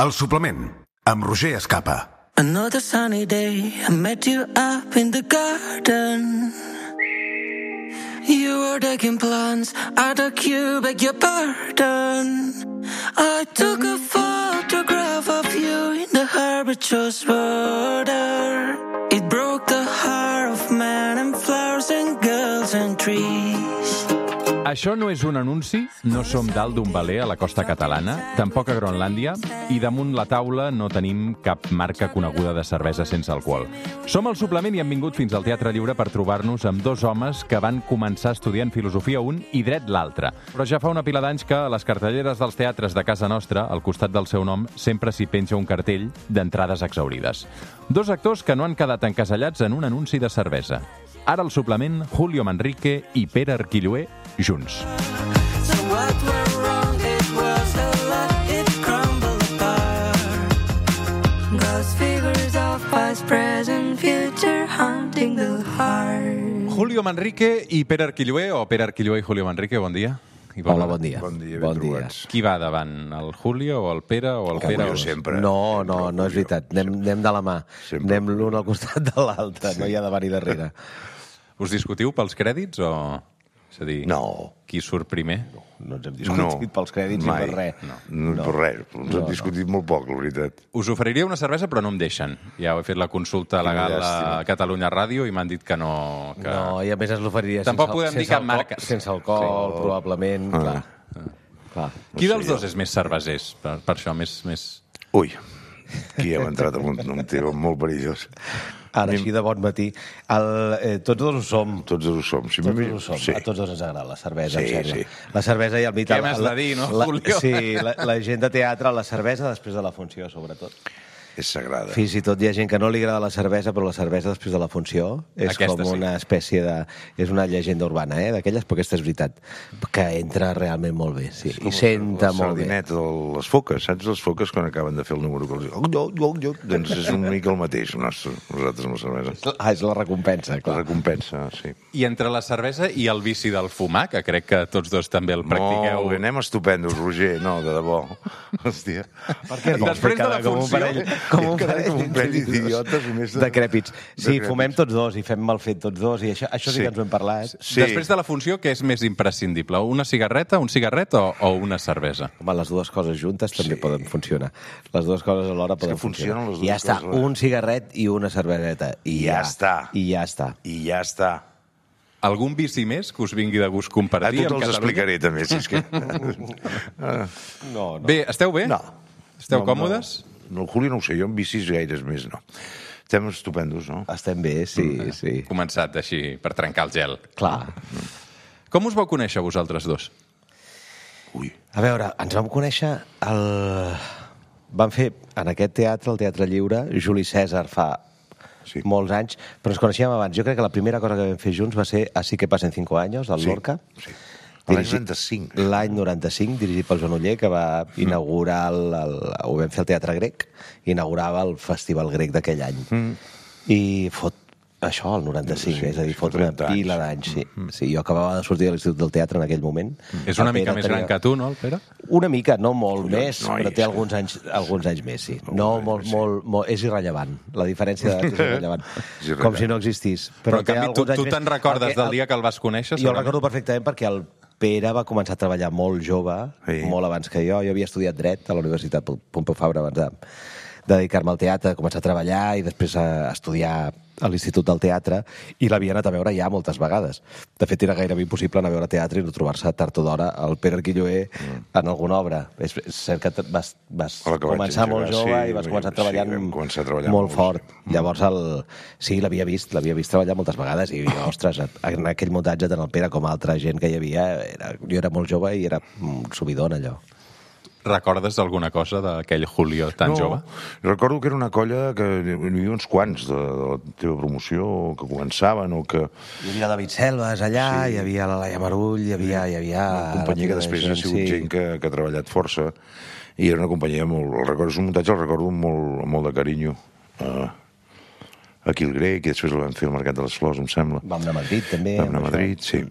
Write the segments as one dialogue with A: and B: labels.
A: El suplement, amb Roger Escapa.
B: Another sunny day, I met you up in the garden. You were taking plants out of cube, beg your pardon. I took a photograph of you in the herbaceous border. It broke the heart of man and flowers and girls and trees.
C: Això no és un anunci, no som dalt d'un veler a la costa catalana, tampoc a Groenlàndia, i damunt la taula no tenim cap marca coneguda de cervesa sense alcohol. Som el suplement i hem vingut fins al Teatre Lliure per trobar-nos amb dos homes que van començar estudiant filosofia un i dret l'altre. Però ja fa una pila d'anys que a les cartelleres dels teatres de casa nostra, al costat del seu nom, sempre s'hi penja un cartell d'entrades exhaurides. Dos actors que no han quedat encasellats en un anunci de cervesa. Ara el suplement, Julio Manrique i Pere Arquilloé, junts.
B: So what went wrong? It was a lot, it crumbled apart. Ghost figures of past, present, future, haunting the heart.
C: Julio Manrique i Pere Arquilloé, o Pere Arquilloé i Julio Manrique, bon dia.
D: Hola, bon dia.
E: Bon dia, ben trobats.
C: Qui va davant, el Julio o el Pere o el Pere?
E: Jo sempre.
D: No és veritat. Anem de la mà.
E: Sempre.
D: Anem l'un al costat de l'altre, no hi ha davant i darrere.
C: Us discutiu pels crèdits o... És a dir,
E: No.
C: qui surt primer?
D: No ens hem discutit pels crèdits
E: mai.
D: ni per res.
E: No per res. Ens hem discutit molt poc, la veritat.
C: Us oferiria una cervesa, però no em deixen. Ja he fet la consulta legal a Catalunya Ràdio i m'han dit que no... Que...
D: No, i a més ens l'oferiria
C: Tampoc podem dir cap marca.
D: Sense alcohol, probablement, clar.
C: Qui dels dos és més cervesers? Per això, més...
E: Ui, aquí hem entrat en un tema molt perillós.
D: Ara, així de bon matí. Tots dos ho som.
E: Tots dos ho som.
D: Tots dos ho som.
E: Sí.
D: A tots dos ens agrada la cervesa,
E: Sí,
D: em sembla.
E: sí.
D: La cervesa i el vital.
C: Què m'has de dir, no, Julio?
D: Sí, la gent de teatre, la cervesa després de la funció, sobretot.
E: És sagrada.
D: Fins i tot hi ha gent que no li agrada la cervesa, però la cervesa després de la funció és
C: Aquesta
D: com
C: sí.
D: una espècie de... És una llegenda urbana, d'aquelles, però aquesta és veritat, que entra realment molt bé, sí, i senta molt bé.
E: La sardineta, les foques, saps les foques quan acaben de fer el número? Doncs és una mica el mateix, nosaltres amb la cervesa.
D: És la recompensa,
E: La
D: clar.
E: recompensa, sí.
C: I entre la cervesa i el vici del fumar, que crec que tots dos també el practiqueu...
E: Molt bé, anem estupendos, Roger. No, de debò. Hòstia.
D: Per què no?
C: Després de la
D: Com un
C: funció...
D: parell- Com un parell
E: d'idiotes.
D: decrèpits. Sí, fumem tots dos i fem mal fet tots dos, i això sí que ens ho hem parlat.
E: Sí.
C: Després de la funció, què és més imprescindible? Una cigarreta, un cigarret o una cervesa?
D: Home, les dues coses juntes també poden funcionar. Les dues coses alhora poden
E: funcionen
D: funcionar.
E: les dues
D: I ja està,
E: coses alhora.
D: un cigarret i una cerveseta. I
E: Ja està.
D: I ja està.
E: I ja està.
C: Algun vici més que us vingui de gust
E: A
C: compartir
E: tu
C: amb
E: te'ls
C: Catalunya?
E: explicaré, també, si és que...
D: No.
C: Bé, esteu bé?
E: No.
C: Esteu
E: No,
C: còmodes?
E: No, el Julio no ho sé, jo amb bicis gaires més, no. Estem estupendos, no?
D: Estem bé, sí.
C: Començat així, per trencar el gel.
D: Clar.
C: Com us vau conèixer vosaltres dos?
E: Ui.
D: A veure, ens vam conèixer Vam fer en aquest teatre, el Teatre Lliure, Juli Cèsar fa molts anys, però ens coneixíem abans. Jo crec que la primera cosa que vam fer junts va ser Así que pasen 5 años, del Lorca.
E: Sí. L'any 95.
D: L'any 95, dirigit pel Joan Oller, que va inaugurar, ho vam fer al Teatre Grec, inaugurava el Festival Grec d'aquell any. I fot això, el 95, és a dir, fot una
E: 30 anys.
D: pila d'anys. Sí, jo acabava de sortir de l'Institut del Teatre en aquell moment.
C: És una mica més gran que tu, no, el Pere?
D: Una mica, no molt més,
E: no,
D: però té alguns anys més, sí. No, molt, és irrellevant. La diferència d'edat és irrellevant.
E: irrellevant.
D: Com si no existís.
C: Però en
D: té
C: canvi,
D: alguns anys
C: tu
D: més,
C: te'n recordes
D: perquè
C: del dia que el vas conèixer?
D: Jo el recordo perfectament perquè el Pere va començar a treballar molt jove, molt abans que jo. Jo havia estudiat dret a la Universitat Pompeu Fabra abans de dedicar-me al teatre, començar a treballar i després a estudiar a l'Institut del Teatre, i l'havia anat a veure ja moltes vegades. De fet, era gairebé impossible anar a veure teatre i no trobar-se tard o d'hora el Pere Arquilloé en alguna obra. És cert que vas començar molt jove i vas començar treballant molt fort. Llavors, sí, l'havia vist treballar moltes vegades i, ostres, en aquell muntatge, tant el Pere com altra gent que hi havia, jo era molt jove i era un subidor en allò.
C: Recordes alguna cosa d'aquell Julio tan jove?
E: Recordo que era una colla que hi havia uns quants de la teva promoció que començaven o que...
D: Hi havia David Selves allà, hi havia la Laia Marull, hi havia...
E: Una companyia que després ha sigut gent que ha treballat força i era una companyia molt... És un muntatge, el recordo amb molt de carinyo. Aquí el Grec, i després el vam fer al Mercat de les Flors, em sembla.
D: Vam anar a Madrid, també.
E: Vam anar a Madrid, sí.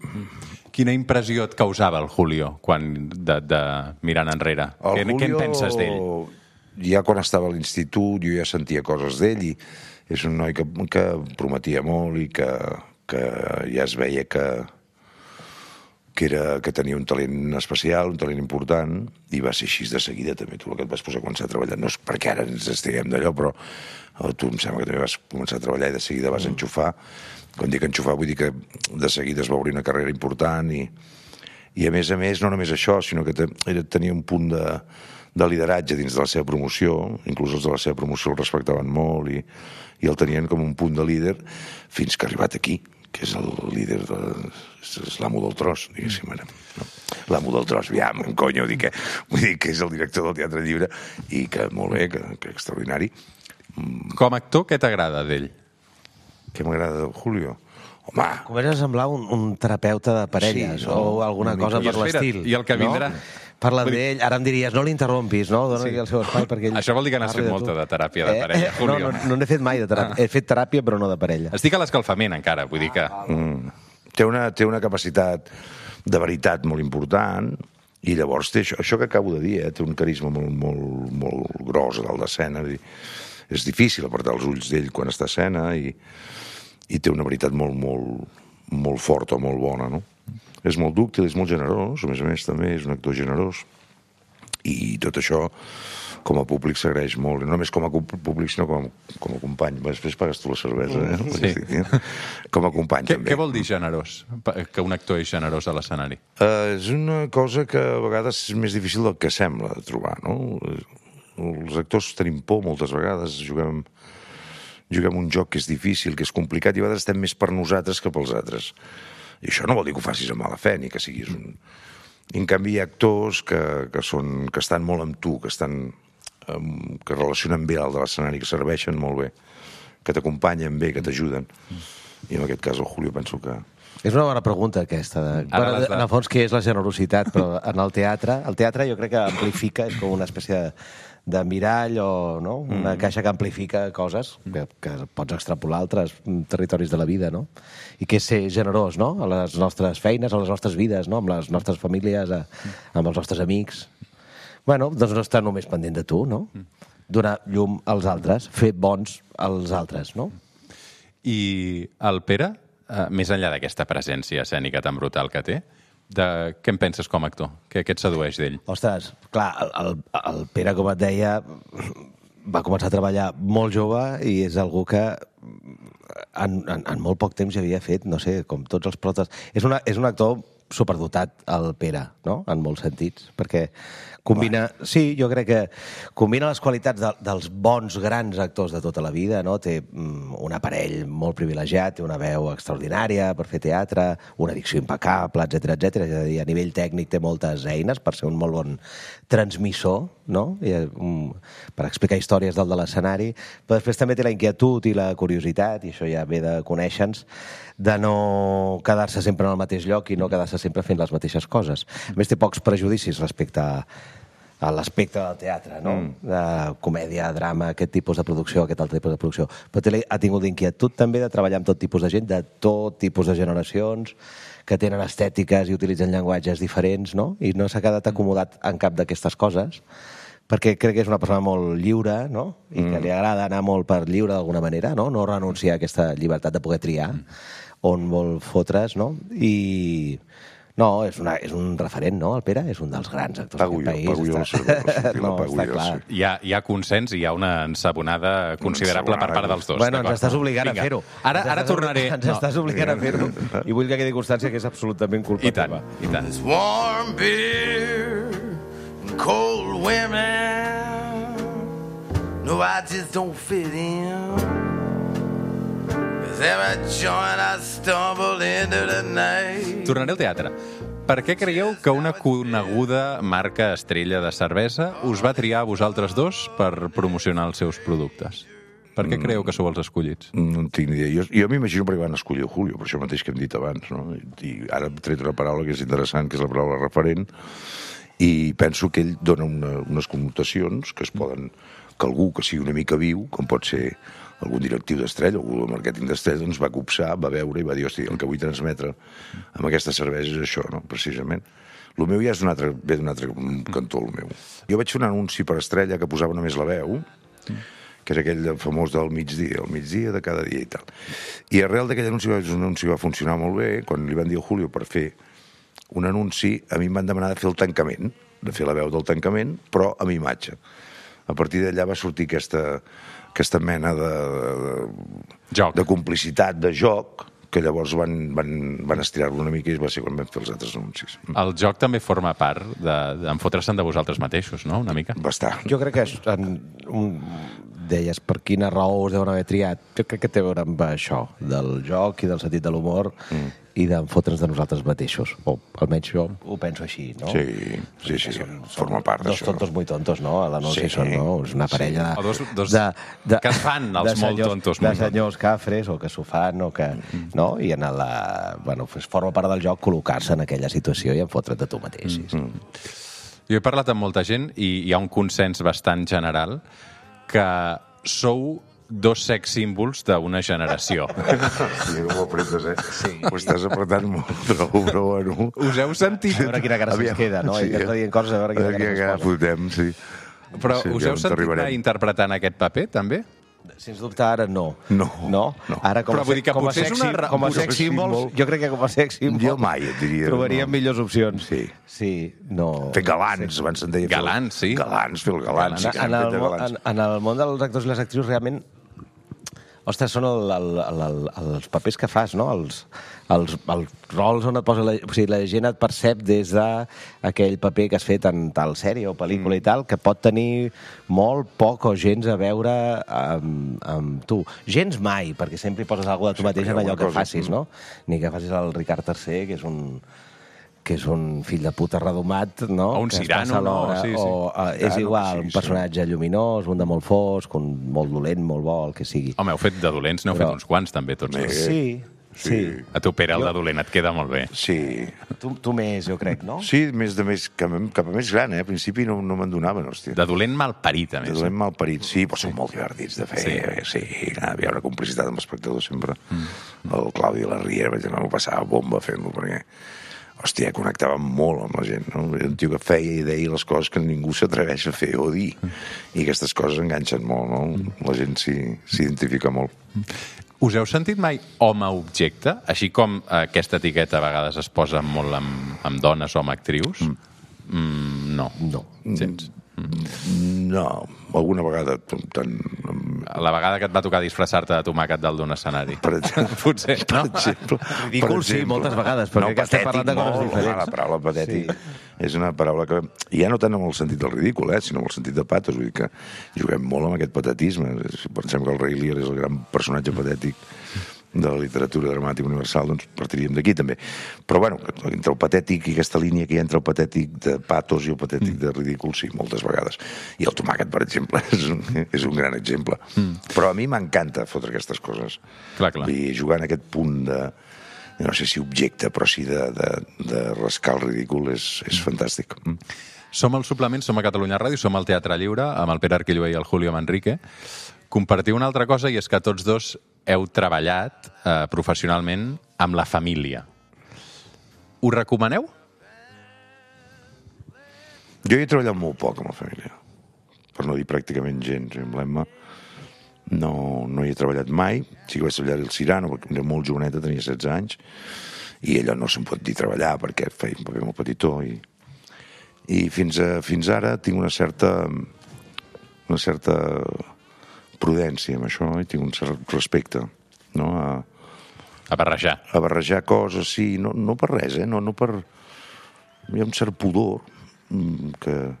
C: Quina impressió et causava el Julio quan de mirant enrere? Què en penses d'ell?
E: ja quan estava a l'institut jo ja sentia coses d'ell i és un noi que prometia molt i que ja es veia que tenia un talent especial, un talent important, i va ser així de seguida també. Tu el que et vas posar a començar a treballar, no és perquè ara ens estiguem d'allò, però tu em sembla que també vas començar a treballar i de seguida vas enxufar. Quan dic enxufar vull dir que de seguida es va obrir una carrera important i a més, no només això, sinó que tenia un punt de lideratge dins de la seva promoció, inclús els de la seva promoció el respectaven molt i el tenien com un punt de líder fins que ha arribat aquí, que és el líder, és l'amo del tros, diguéssim. L'amo del tros, aviam, conyo, vull dir que és el director del Teatre Lliure i que molt bé, que extraordinari.
C: Com a actor, què t'agrada d'ell?
E: Què m'agrada de Julio? Home...
D: Comença a semblar un terapeuta de parelles o alguna cosa per l'estil.
C: I el que vindrà...
D: Parla d'ell, ara em diries, no l'interrompis, no? Dóna-li el seu espai perquè ell...
C: Això vol dir que n'has fet molta de teràpia de parella, Julio.
D: No n'he fet mai de teràpia. He fet teràpia, però no de parella.
C: Estic a l'escalfament, encara, vull dir que...
E: Té una capacitat de veritat molt important i llavors té això que acabo de dir, té un carisma molt gros a dalt d'escena. És difícil apartar els ulls d'ell quan està a escena i té una veritat molt forta, molt bona, no? És molt dúctil, és molt generós, a més també és un actor generós i tot això com a públic s'agraeix molt, no només com a públic sinó com a company. Després pagues tu la cervesa,
C: Sí.
E: Com a company també.
C: Què vol dir generós? Que un actor és generós a l'escenari?
E: És una cosa que a vegades és més difícil del que sembla de trobar, no? Els actors tenim por moltes vegades, juguem un joc que és difícil, que és complicat i a vegades estem més per nosaltres que pels altres. I això no vol dir que ho facis amb mala fe ni que siguis un... En canvi, hi ha actors que estan molt amb tu, que relacionen bé dalt de l'escenari, que serveixen molt bé, que t'acompanyen bé, que t'ajuden. I en aquest cas el Julio penso que...
D: És una bona pregunta aquesta. En el fons, què és la generositat? Però en el teatre jo crec que amplifica, és com una espècie de mirall o una caixa que amplifica coses que pots extrapolar a altres territoris de la vida, no? I que és ser generós, no? A les nostres feines, a les nostres vides, no? Amb les nostres famílies, amb els nostres amics. Bueno, doncs no estar només pendent de tu, no? Donar llum als altres, fer bons als altres, no?
C: I el Pere, més enllà d'aquesta presència escènica tan brutal que té, què en penses com a actor? Què et sedueix d'ell?
D: Ostres, clar, el Pere, com et deia, va començar a treballar molt jove i és algú que en molt poc temps ja havia fet, no sé, com tots els protes... És un actor superdotat, el Pere, no?, en molts sentits, perquè combina... Sí, jo crec que combina les qualitats dels bons, grans actors de tota la vida, no? Té un aparell molt privilegiat, té una veu extraordinària per fer teatre, una dicció impecable, etcètera. És a dir, a nivell tècnic té moltes eines per ser un molt bon transmissor, no? Per explicar històries dalt de l'escenari, però després també té la inquietud i la curiositat, i això ja ve de conèixer-nos, de no quedar-se sempre en el mateix lloc i no quedar-se sempre fent les mateixes coses. A més, té pocs prejudicis respecte a l'aspecte del teatre, no? De comèdia, drama, aquest tipus de producció, aquest altre tipus de producció. Però ha tingut l'inquietud també de treballar amb tot tipus de gent, de tot tipus de generacions, que tenen estètiques i utilitzen llenguatges diferents, no? I no s'ha quedat acomodat en cap d'aquestes coses, perquè crec que és una persona molt lliure, no? I que li agrada anar molt per lliure d'alguna manera, no? No renunciar a aquesta llibertat de poder triar on vol fotre's, no? I... No, és un referent, no, el Pere? És un dels grans actors d'aquest país.
E: Pago jo la cervesa.
D: No, està clar.
C: Hi ha consens i hi ha una ensabonada considerable per part dels dos.
D: Bueno, ens estàs obligant a fer-ho.
C: Ara tornaré...
D: Ens estàs obligant a fer-ho i vull que quedi constància que és absolutament culpa teva.
C: I tant.
B: Warm beer and cold women. No, I just don't fit in. Every joint I stumble into the night.
C: Tornaré al teatre. Per què creieu que una coneguda marca estrella de cervesa us va triar a vosaltres dos per promocionar els seus productes? Per què creieu que sou els escollits?
E: No en tinc ni idea. Jo m'imagino perquè van escollir el Julio, per això mateix que hem dit abans, no? I ara hem tret una paraula que és interessant, que és la paraula referent, i penso que ell dona unes connotacions que es poden... que algú que sigui una mica viu, com pot ser algun directiu d'Estrella, algú del màrqueting d'Estrella, doncs va copsar, va veure i va dir, hosti, el que vull transmetre amb aquesta cervesa és això, no? Precisament. El meu ja ve d'un altre cantó, el meu. Jo vaig fer un anunci per Estrella que posava només la veu, que és aquell famós del migdia, el migdia de cada dia i tal. I arrel d'aquell anunci va funcionar molt bé. Quan li van dir a Julio per fer un anunci, a mi em van demanar de fer el tancament, de fer la veu del tancament, però amb imatge. A partir d'allà va sortir aquesta mena de complicitat, de joc, que llavors van estirar-lo una mica i va ser quan vam fer els altres anuncis.
C: El joc també forma part d'enfotre-se'n de vosaltres mateixos, no?, una mica.
E: Bastant.
D: Jo crec que deies per quina raó us deuen haver triat. Jo crec que té a veure amb això, del joc i del sentit de l'humor i d'enfotre'ns de nosaltres mateixos. O almenys jo ho penso així, no?
E: Sí, forma part d'això.
D: Dos tontos muy tontos, no? A l'anunci són, no? És una parella
C: O dos que es fan els molt tontos.
D: De senyors cafres, o que s'ho fan, o que... No? I bueno, forma part del joc col·locar-se en aquella situació i enfotre't de tu mateix.
C: Jo he parlat amb molta gent i hi ha un consens bastant general que sou dos sex símbols d'una generació.
E: Sí, ho apretes, Sí. Ho estàs apretant molt, però bueno...
C: Us heu sentit?
D: A veure quina cara se'ns queda, no?
E: Sí,
D: I dient coses, a veure quina cara se'ns
E: fotem, sí.
C: Però us heu sentit mai interpretant aquest paper, també?
D: Sens dubte ara no.
E: No.
D: Ara
C: Però vull dir que potser és
D: com a sex símbols, jo crec que com a sex símbols
E: jo mai et diria.
D: Trobaríem millors opcions.
E: Sí,
D: no.
E: Fer galants, abans se'n deia.
C: Galants, sí.
E: Galants, fer el galants.
D: En el món dels actors i les actrius realment... Ostres, són els papers que fas, no? Els rols on et posa... O sigui, la gent et percep des d'aquell paper que has fet en tal sèrie o pel·lícula i tal, que pot tenir molt poc o gens a veure amb tu. Gens mai, perquè sempre hi poses alguna de tu mateix en allò que facis, no? Ni que facis el Ricard III, que és un fill de puta redomat, no?
C: O un Cyrano, no? Sí.
D: És igual, un personatge lluminós, un de molt fosc, un molt dolent, molt bo, el que sigui.
C: Home, heu fet de dolents, n'heu fet uns quants, també, tots.
D: Sí.
C: A tu, Pere, el de dolent et queda molt bé.
E: Sí.
D: Tu més, jo crec, no?
E: Sí, cap a més gran, Al principi no me'n donaven, hòstia.
C: De dolent malparit, a més.
E: De dolent malparit, sí, però són molt divertits de fer. Sí, hi havia una complicitat amb l'espectador sempre. El Claudi de la Riera, vaig anar, m'ho passava bomba fent-lo, perquè... Hòstia, connectava molt amb la gent, no? Era un tio que feia i deia les coses que ningú s'atreveix a fer o dir. I aquestes coses enganxen molt, no? La gent s'identifica molt.
C: Us heu sentit mai home-objecte? Així com aquesta etiqueta a vegades es posa molt amb dones o amb actrius? No. Gens?
E: No, alguna vegada tant...
C: La vegada que et va tocar disfressar-te de tomàquet dalt d'un escenari.
E: Per exemple.
C: Potser, no?
D: Ridícul, sí, moltes vegades, perquè que estem parlant de coses diferents.
E: La paraula patètic és una paraula que... Ja no tant amb el sentit del ridícul, sinó amb el sentit de patos. Vull dir que juguem molt amb aquest patetisme. Si pensem que el Rei Lear és el gran personatge patètic de la literatura dramàtica universal, doncs partiríem d'aquí també. Però bueno, entre el patètic i aquesta línia que hi ha entre el patètic de patos i el patètic de ridícul, sí, moltes vegades. I el tomàquet, per exemple, és un gran exemple. Però a mi m'encanta fotre aquestes coses.
C: Clar.
E: Vull dir, jugar en aquest punt de, no sé si objecte, però sí de rascar el ridícul és fantàstic.
C: Som al Suplement, som a Catalunya Ràdio, som al Teatre Lliure, amb el Pere Arquillué i el Julio Manrique. Compartiu una altra cosa, i és que tots dos heu treballat professionalment amb la família. Ho recomaneu?
E: Jo hi he treballat molt poc amb la família, per no dir pràcticament gens. Amb l'Emma no hi he treballat mai. Sí que vaig treballar el Cyrano, perquè era molt joveneta, tenia 16 anys, i ella no se'n pot dir treballar perquè feia un paper molt petitó. I fins ara tinc una certa prudència amb això, i tinc un cert respecte, no?
C: A barrejar.
E: A barrejar coses, sí, no per res, no per... Hi ha un cert pudor que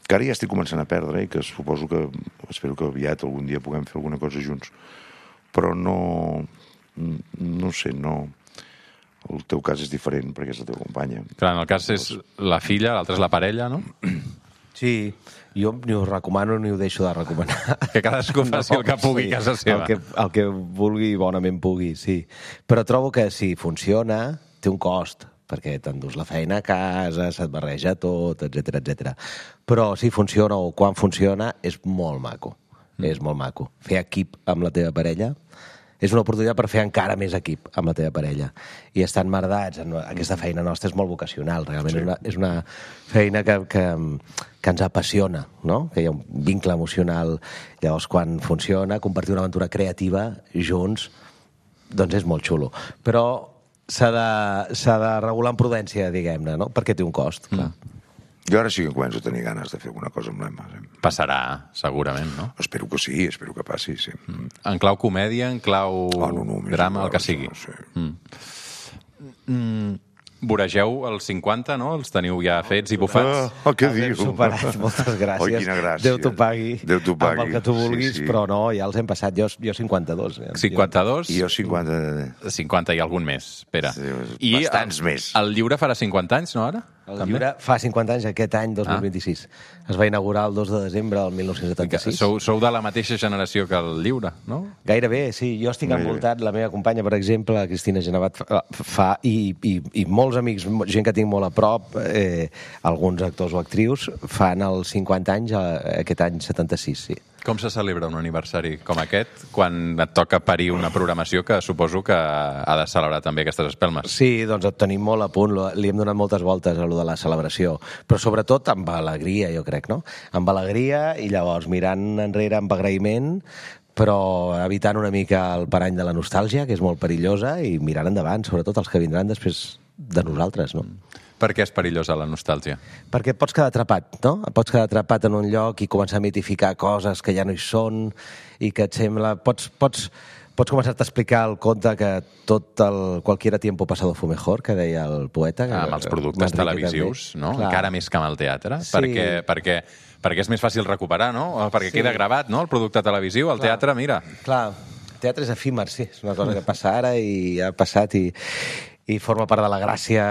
E: ara ja estic començant a perdre, i que suposo que espero que aviat algun dia puguem fer alguna cosa junts, però no sé, no... El teu cas és diferent perquè és la teva companya.
C: Clar, en el cas és la filla, l'altra és la parella, no?
D: Sí, jo ni ho recomano ni ho deixo de recomanar.
C: Que cadascú faci el que pugui a casa seva.
D: El que vulgui i bonament pugui, sí. Però trobo que si funciona, té un cost, perquè t'endús la feina a casa, se't barreja tot, etc. Però si funciona o quan funciona, és molt maco. És molt maco. Fer equip amb la teva parella És una oportunitat per fer encara més equip amb la teva parella. I estar emmerdats en aquesta feina nostra és molt vocacional, realment. És una feina que ens apassiona, no? Que hi ha un vincle emocional. Llavors, quan funciona, compartir una aventura creativa junts, doncs és molt xulo. Però s'ha de regular amb prudència, diguem-ne, no? Perquè té un cost, clar.
E: Jo ara sí que començo a tenir ganes de fer alguna cosa amb l'Emma.
C: Passarà, segurament, no?
E: Espero que sí, espero que passi, sí.
C: En clau comèdia, en clau drama, el que sigui.
E: No sé.
C: Voregeu els 50, no? Els teniu ja fets i bufats?
E: Què dius?
D: Superat, moltes gràcies.
E: Oi, quina gràcia.
D: Déu t'ho pagui.
E: Déu t'ho pagui.
D: Amb el que tu vulguis, però no, ja els hem passat. Jo 52.
C: 52?
E: I jo 50.
C: 50 i algun més, espera.
E: Sí, bastants més.
C: El llibre farà 50 anys, no, ara?
D: El llibre fa 50 anys aquest any, 2026. Es va inaugurar el 2 de desembre del 1976.
C: Sou de la mateixa generació que el llibre, no?
D: Gairebé, sí. Jo estic envoltat, la meva companya, per exemple, la Cristina Genevat, fa, i molts amics, gent que tinc molt a prop, alguns actors o actrius, fan els 50 anys aquest any 76, sí.
C: Com se celebra un aniversari com aquest quan et toca parir una programació que suposo que ha de celebrar també aquestes espelmes?
D: Sí, doncs et tenim molt a punt. Li hem donat moltes voltes a lo de la celebració, però sobretot amb alegria, jo crec, no? Amb alegria i llavors mirant enrere amb agraïment, però evitant una mica el parany de la nostàlgia, que és molt perillosa, i mirant endavant, sobretot els que vindran després de nosaltres, no?
C: Per què és perillosa la nostàlgia?
D: Perquè et pots quedar atrapat, no? Et pots quedar atrapat en un lloc i començar a mitificar coses que ja no hi són i que et sembla... Pots començar-te a explicar el conte que cualquier tiempo pasado fue mejor, que deia el poeta.
C: Amb els productes televisius, no?
D: Clar.
C: Encara més que amb el teatre.
D: Sí.
C: Perquè és més fàcil recuperar, no? Perquè queda gravat, no?, el producte televisiu. El teatre, mira...
D: Clar, el teatre és efímer, sí. És una cosa que passa ara i ha passat i forma part de la gràcia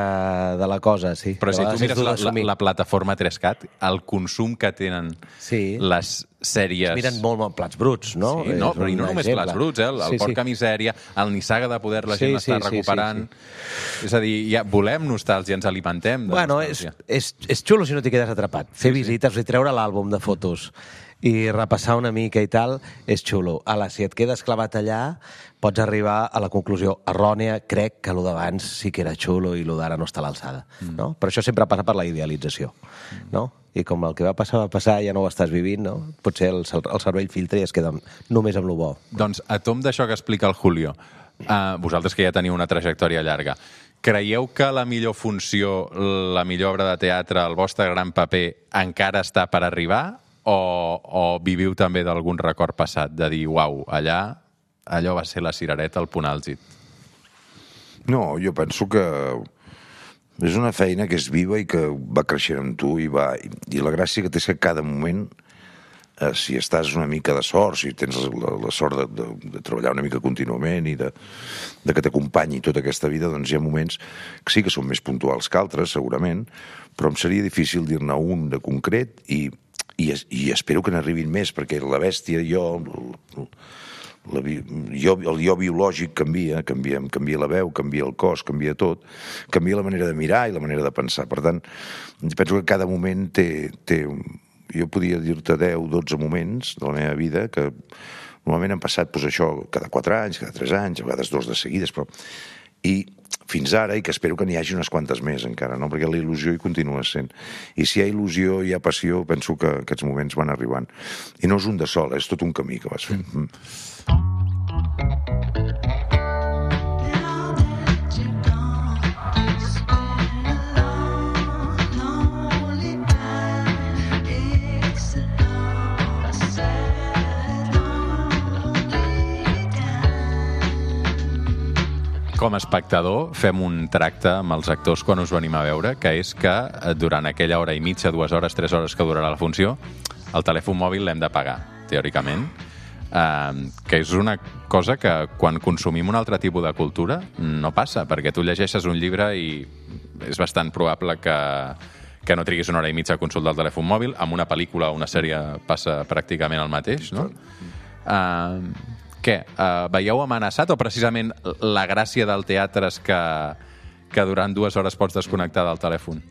D: de la cosa, sí.
C: Però si tu mires la plataforma 3CAT, el consum que tenen les sèries...
D: Es miren molt plats bruts, no?
C: Sí, no, però i no només plats bruts, el Porca Misèria, el Nissaga de Poder, la gent està recuperant... És a dir, ja volem nostàlgia, ens alimentem de nostàlgia.
D: És xulo si no t'hi quedes atrapat. Fer visites, treure l'àlbum de fotos i repassar una mica i tal, és xulo. Ala, si et quedes clavat allà, pots arribar a la conclusió errònia, crec que el d'abans sí que era xulo i el d'ara no està a l'alçada. No? Però això sempre passa per la idealització. No? I com el que va passar, ja no ho estàs vivint, no? Potser el cervell filtra i es queda només amb lo bo.
C: Doncs a tom d'això que explica el Julio, vosaltres que ja teniu una trajectòria llarga, creieu que la millor funció, la millor obra de teatre, el vostre gran paper, encara està per arribar? O viviu també d'algun record passat, de dir, uau, allò va ser la cirereta, el punt àlgid?
E: No, jo penso que és una feina que és viva i que va creixent amb tu i la gràcia que té és que cada moment, si estàs una mica de sort, si tens la sort de treballar una mica contínuament i de que t'acompanyi tota aquesta vida, doncs hi ha moments que sí que són més puntuals que altres, segurament, però em seria difícil dir-ne un de concret i espero que n'arribin més, perquè la bèstia, el jo biològic canvia la veu, canvia el cos, canvia tot, canvia la manera de mirar i la manera de pensar. Per tant, penso que cada moment té jo podia dir-te 10, 12 moments de la meva vida que normalment han passat això cada 4 anys, cada 3 anys, a vegades 2 de seguides, però... I fins ara, i que espero que n'hi hagi unes quantes més encara, no? Perquè la il·lusió hi continua sent. I si hi ha il·lusió, hi ha passió, penso que aquests moments van arribant. I no és un de sol, és tot un camí que vas fent.
C: Com a espectador, fem un tracte amb els actors quan us venim a veure, que és que durant aquella hora i mitja, 2 hores, 3 hores que durarà la funció, el telèfon mòbil l'hem de pagar, teòricament, que és una cosa que quan consumim un altre tipus de cultura no passa, perquè tu llegeixes un llibre i és bastant probable que no triguis 1 hora i mitja a consultar el telèfon mòbil. Amb una pel·lícula o una sèrie passa pràcticament el mateix, no? Què? Veieu amenaçat o precisament la gràcia del teatre és que durant 2 hores pots desconnectar del telèfon?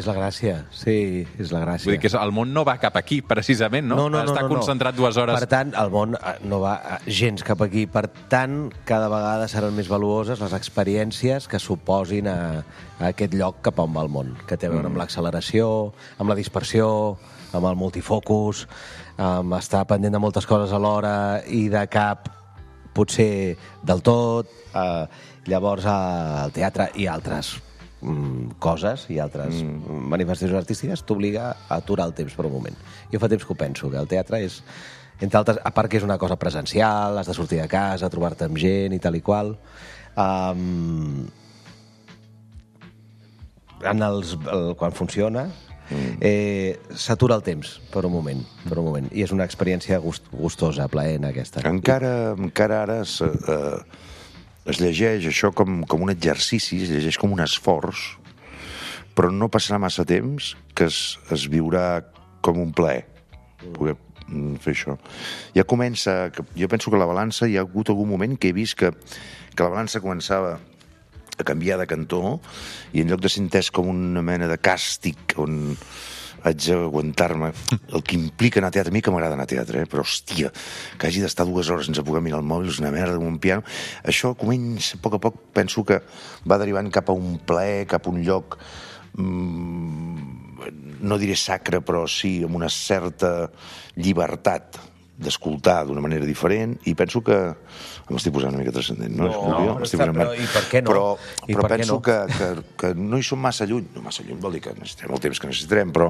D: És la gràcia, sí, és la gràcia.
C: Vull dir que el món no va cap aquí, precisament, no? Està concentrat 2 hores...
D: Per tant, el món no va gens cap aquí. Per tant, cada vegada seran més valuoses les experiències que suposin a aquest lloc cap on va el món, que té a veure amb l'acceleració, amb la dispersió, amb el multifocus, amb estar pendent de moltes coses alhora i de cap potser del tot. Llavors, el teatre i altres coses i altres manifestacions artístiques t'obliga a aturar el temps per un moment. Jo fa temps que ho penso, que el teatre és, entre altres, a part que és una cosa presencial, has de sortir de casa, trobar-te amb gent i tal i qual, quan funciona s'atura el temps per un moment, i és una experiència gustosa, plaent aquesta.
E: Encara ara es llegeix això com un exercici, es llegeix com un esforç, però no passarà massa temps que es viurà com un plaer poder fer això. Ja comença, jo penso que la balança, hi ha hagut algun moment que he vist que la balança començava a canviar de cantó i en lloc de ser entès com una mena de càstig on haig d'aguantar-me el que implica anar a teatre. A mi que m'agrada anar a teatre, però hòstia, que hagi d'estar 2 hores sense poder mirar el mòbil, és una merda amb un piano. Això comença, a poc, penso que va derivant cap a un plaer, cap a un lloc no diré sacre, però sí amb una certa llibertat d'escoltar d'una manera diferent, i penso que m'estic posant una mica transcendent, no?
D: Però i per què no?
E: Però penso que no hi som massa lluny. No massa lluny vol dir que necessitem el temps que necessitarem, però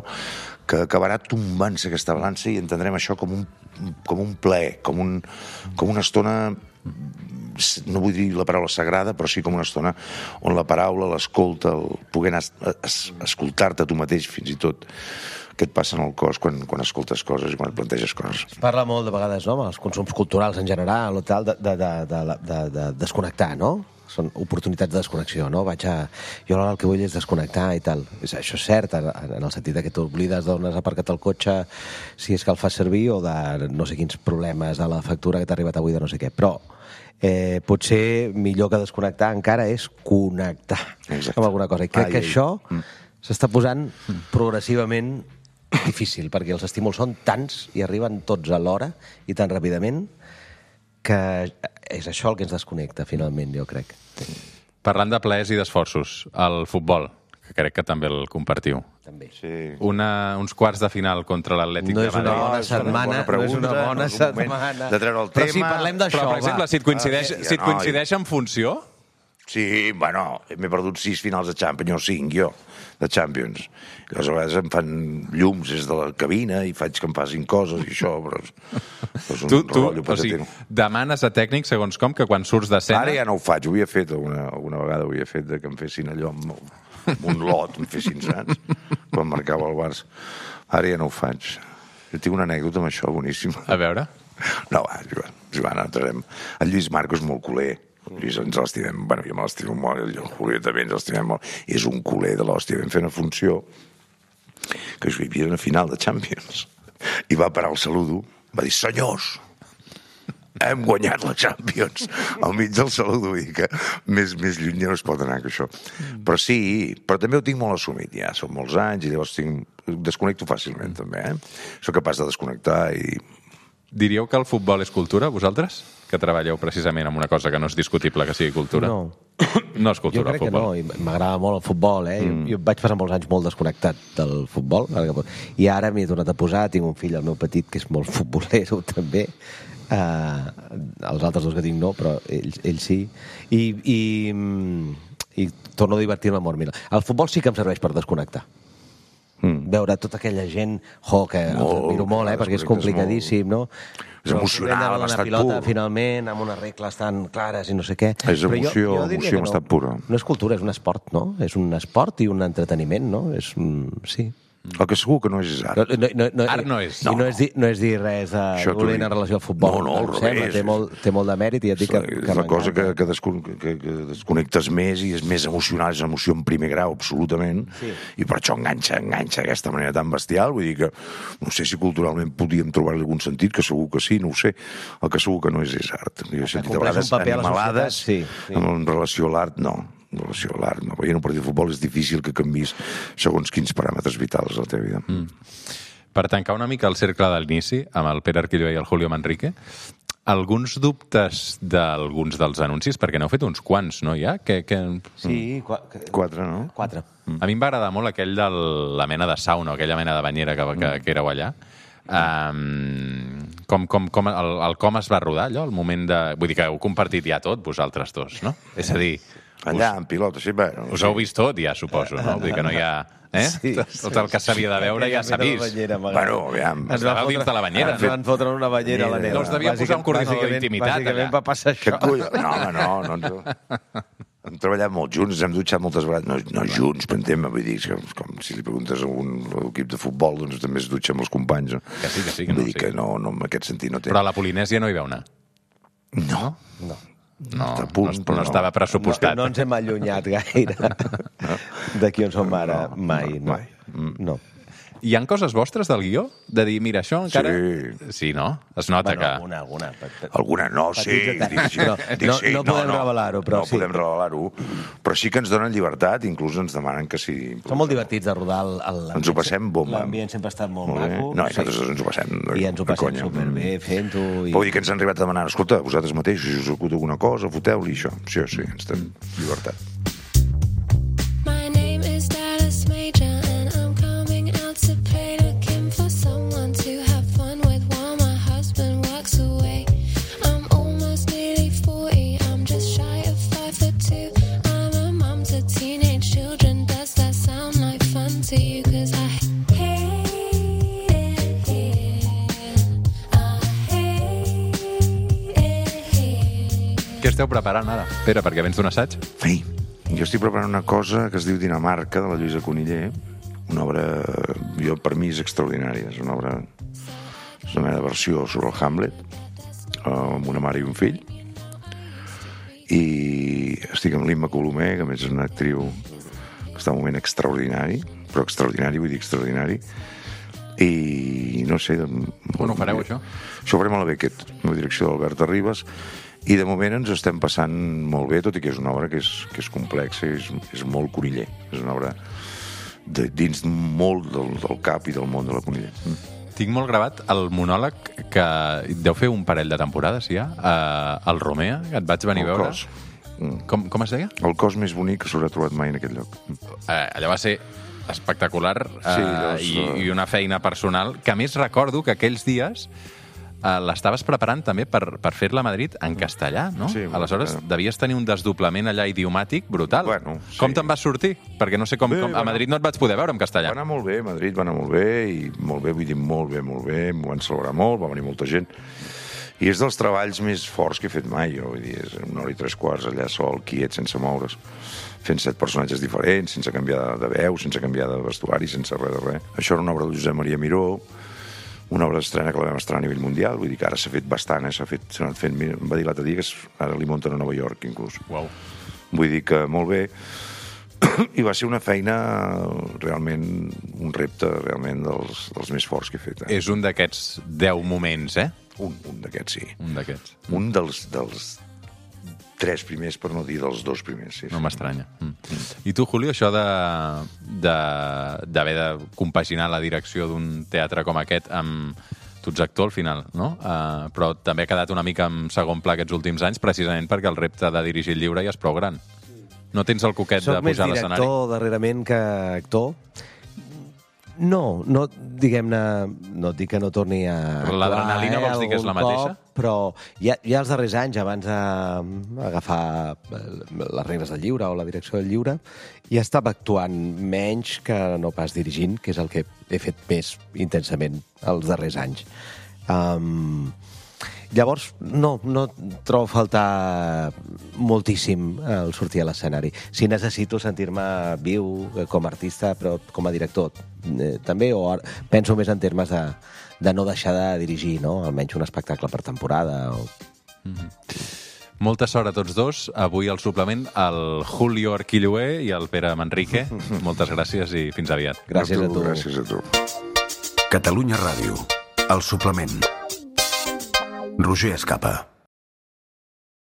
E: que acabarà tombant-se aquesta balança i entendrem això com un plaer, com una estona, no vull dir la paraula sagrada, però sí com una estona on la paraula, l'escolta, el poder anar a escoltar-te tu mateix fins i tot, que et passa en el cos quan escoltes coses i quan et planteges coses.
D: Es parla molt de vegades, no?, amb els consums culturals en general o tal, de desconnectar, no? Són oportunitats de desconnexió, no? Jo el que vull és desconnectar i tal. Això és cert, en el sentit que t'oblides d'on has aparcat el cotxe, si és que el fas servir, o de no sé quins problemes de la factura que t'ha arribat avui de no sé què. Però potser millor que desconnectar encara és connectar amb alguna cosa. I crec que això s'està posant progressivament difícil, perquè els estímuls són tants i arriben tots alhora i tan ràpidament que és això el que ens desconnecta, finalment, jo crec.
C: Parlant de plaers i d'esforços, el futbol, que crec que també el compartiu.
D: També.
E: Sí.
C: Uns quarts de final contra l'Atlètic de Madrid.
D: No és una bona setmana.
E: De treure el tema.
D: Però si parlem d'això,
C: però, per exemple, si et coincideix en funció...
E: Sí, bueno, m'he perdut 6 finals de Champions, o 5, jo, de Champions. A vegades em fan llums des de la cabina i faig que em facin coses i això, però és un rotllo patatero.
C: Demanes a tècnic, segons com, que quan surts d'escena...
E: Ara ja no ho faig, ho havia fet alguna vegada, ho havia fet, que em fessin allò amb un lot, em fessin, saps? Quan marcava el Barça. Ara ja no ho faig. Jo tinc una anècdota amb això boníssima.
C: A veure?
E: No, va, Joan, entrarem. El Lluís Marco és molt culer. Lluís, ens l'estimem, bueno, jo me l'estimo molt, el Julio també ens l'estimem molt, és un culer de l'hòstia. Vam fer una funció que hi havia una final de Champions i va parar el saludo, va dir, senyors, hem guanyat la Champions al mig del saludo, i que més lluny ja no es pot anar que això. Però sí, però també ho tinc molt assumit ja, són molts anys i llavors desconnecto fàcilment també, soc capaç de desconnectar i...
C: Diríeu que el futbol és cultura, vosaltres? Que treballeu precisament amb una cosa que no és discutible que sigui cultura?
D: No.
C: No és cultura, el futbol.
D: Jo crec que no, i m'agrada molt el futbol, Jo vaig passar molts anys molt desconnectat del futbol, i ara m'hi he tornat a posar, tinc un fill, el meu petit, que és molt futbolero també, els altres dos que tinc no, però ell sí, i torno a divertir-me molt. Mira, el futbol sí que em serveix per desconnectar. Veure tota aquella gent que els admiro molt, perquè és complicadíssim, no?
E: És emocional,
D: amb estat
E: pilota,
D: pur. Finalment, amb unes regles tan clares i no sé què.
E: És emoció en estat pura.
D: No és cultura, és un esport, no? És un esport i un entreteniment, no? Sí.
E: El que segur que no és art.
C: Art no és.
D: I no és dir res de dolent en relació al futbol.
E: No, al revés.
D: Té molt de mèrit i et dic que
E: és la cosa que desconnectes més i és més emocional, és una emoció en primer grau, absolutament, i per això enganxa d'aquesta manera tan bestial. Vull dir que no sé si culturalment podíem trobar-li algun sentit, que segur que sí, no ho sé. El que segur que no és art. Jo he sentit a vegades animalades en relació a l'art, no. amb relació a l'art. Veient un partit de futbol és difícil que canvis segons quins paràmetres vitals a la teva vida.
C: Per tancar una mica el cercle de l'inici, amb el Pere Arquilloé i el Julio Manrique, alguns dubtes d'alguns dels anuncis, perquè n'heu fet uns quants, no, ja?
D: Sí,
E: 4, no?
D: 4.
C: A mi em va agradar molt aquell de la mena de sauna, aquella mena de banyera que éreu allà. Com es va rodar allò, el moment de... Vull dir que heu compartit ja tot, vosaltres dos, no? És a dir...
E: Allà, en pilota, sí, bueno...
C: Us heu vist tot, ja, suposo, no? Vull dir que no hi ha...
D: Sí.
C: Tot el que s'havia de veure ja s'ha vist.
E: Bueno, aviam...
C: Ens va dins de la banyera.
D: Ens van fotre una banyera a la neva.
C: No us devia posar un coordinador d'intimitat, allà.
D: Bàsicament va passar això.
E: No. Hem treballat molt junts, ens hem dutxat moltes vegades, no junts, per entendre, vull dir, com si li preguntes a un equip de futbol, doncs també es dutxa amb els companys.
C: Que sí.
E: Vull dir que no, en aquest sentit no té...
C: Però a la Polinèsia no hi veu anar.
E: No.
C: No estava pressupostat.
D: No ens hem allunyat gaire d'aquí on som ara, mai. No.
C: Hi ha coses vostres del guió? De dir, mira, això encara... Sí, no? Es nota que...
E: Alguna no, sí.
D: No podem revelar-ho, però sí.
E: No podem revelar-ho, però sí que ens donen llibertat, inclús ens demanen que sí.
D: Som molt divertits de rodar l'ambient.
E: Ens ho passem bomba.
D: L'ambient sempre ha estat molt maco.
E: No, i nosaltres ens ho passem.
D: I ens ho passem superbé fent-ho.
E: Vull dir que ens han arribat a demanar, escolta, vosaltres mateixos, si us acut alguna cosa, foteu-li això. Sí, ens tenim llibertat.
C: Què esteu preparant ara? Pere, perquè vens d'un assaig?
E: Sí, jo estic preparant una cosa que es diu Dinamarca, de la Lluïsa Coniller, una obra, per mi és extraordinària, és una obra, és una mena de versió sobre el Hamlet, amb una mare i un fill, i estic amb l'Imma Colomer, que a més és una actriu que està en un moment extraordinari, però extraordinari, vull dir extraordinari, i no sé...
C: On ho fareu, això?
E: Això ho farem a la Beckett, amb la direcció d'Albert Arribas, i de moment ens estem passant molt bé, tot i que és una obra que és complexa, és molt Coniller, és una obra dins molt del cap i del món de la Coniller.
C: Tinc molt gravat el monòleg que deu fer un parell de temporades, ja, el Romea, que et vaig venir a veure. Com es deia?
E: El cos més bonic que s'haurà trobat mai en aquest lloc.
C: Allò va ser espectacular i una feina personal, que a més recordo que aquells dies l'estaves preparant també per fer-la a Madrid en castellà, no?
E: Sí,
C: aleshores devies tenir un desdoblament allà idiomàtic brutal.
E: Bueno, sí.
C: Com te'n vas sortir? Perquè no sé com... A Madrid no et vaig poder veure en castellà.
E: Va anar molt bé, a Madrid va anar molt bé, i molt bé, vull dir molt bé, m'ho van celebrar molt, va venir molta gent. I és dels treballs més forts que he fet mai, jo, vull dir, és 1 hora i 3/4 allà sol, quiet, sense moure's, fent 7 personatges diferents, sense canviar de veu, sense canviar de vestuari, sense res de res. Això era una obra de Josep Maria Miró, una obra d'estrena que la vam estrenar a nivell mundial, vull dir que ara s'ha fet bastant, s'ha anat fent, em va dir l'altre dia que ara li munten a Nova York, inclús.
C: Uau.
E: Vull dir que molt bé, i va ser una feina realment, un repte realment dels més forts que he fet.
C: És un d'aquests 10 moments, eh?
E: Un d'aquests, sí.
C: Un d'aquests.
E: Un dels 3 primers, per no dir dels 2 primers. Sí,
C: no m'estranya. I tu, Julio, això d'haver de compaginar la direcció d'un teatre com aquest amb... Tu ets actor al final, no? Però també ha quedat una mica en segon pla aquests últims anys, precisament perquè el repte de dirigir el llibre ja és prou gran. No tens el coquet de pujar a l'escenari?
D: Soc més director darrerament que actor. No, diguem-ne, no et dic que no torni a...
C: L'adrenalina vols dir que és la mateixa?
D: Però ja els darrers anys, abans d'agafar les regles del llibre o la direcció del llibre, ja estava actuant menys que no pas dirigint, que és el que he fet més intensament els darrers anys. Llavors, no trobo a faltar moltíssim el sortir a l'escenari. Si necessito sentir-me viu com a artista, però com a director també, o penso més en termes de no deixar de dirigir, no? Almenys un espectacle per temporada.
C: Molta sort a tots dos. Avui al suplement el Julio Arquilloé i el Pere Manrique. Moltes gràcies i fins aviat.
D: Gràcies a tu.
E: Gràcies a tu.
A: Catalunya Ràdio. El suplement. Roger Escapa.